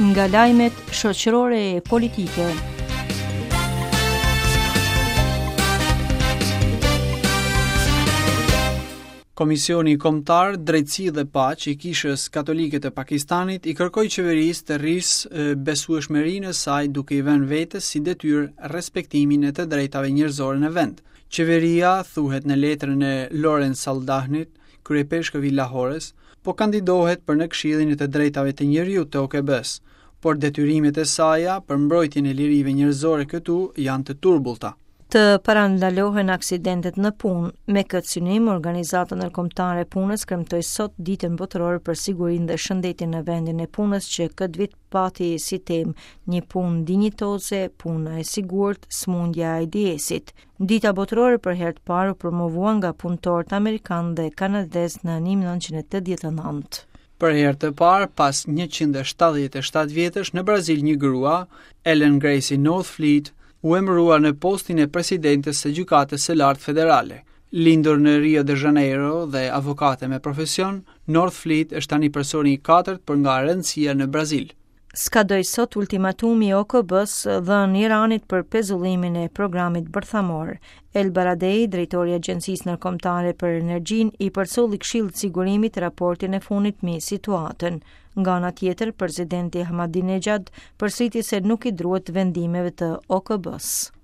Nga lajmet shoqërore e politike. Komisioni Kombëtar Drejtësi dhe Paqe i Kishës Katolike të Pakistanit i kërkoi qeverisë të rrisë besueshmërinë e saj duke i vënë vetes si detyrë respektimin e të drejtave njerëzore në vend. Qeveria, thuhet në letrën e Lawrence Saldanhit, kryeipeshkëv i Lahores, po kandidohet për në Këshillin e të Drejtave të Njeriut të OKB-së, por detyrimet e saja për mbrojtjen e lirive njerëzore këtu janë të turbullta. Të parandalohen aksidentet në punë. Me këtë synim, Organizata Ndërkombëtare e Punës kremtoi sot Ditën Botërore për Sigurinë dhe Shëndetin në vendin e punës që këtë vit pati si temë një punë dinjitoze, puna e sigurt, sëmundja e AIDS-it. Dita Botërore për herë të parë u promovua nga punëtorët amerikanë dhe kanadezë në 1989. Për herë të parë, pas 177 vjetësh, në Brazil një grua, Ellen Gracie Northfleet, u emërua në postin e presidentes së Gjykatës së Lartë Federale. Lindur në Rio de Janeiro dhe avokate me profesion, Northfleet është tani personi i katërt për nga rëndësia në Brazil. Skadoi sot ultimatumi i OKB-së dhënë Iranit për pezullimin e programit bërthamor. El Baradei, drejtori i Agjencisë Ndërkombëtare për Energjinë, i përcolli Këshillit të Sigurimit raportin e fundit mbi situatën. Nga ana tjetër, presidenti Ahmadinejad përsëriti se nuk i druhet vendimeve të OKB-së.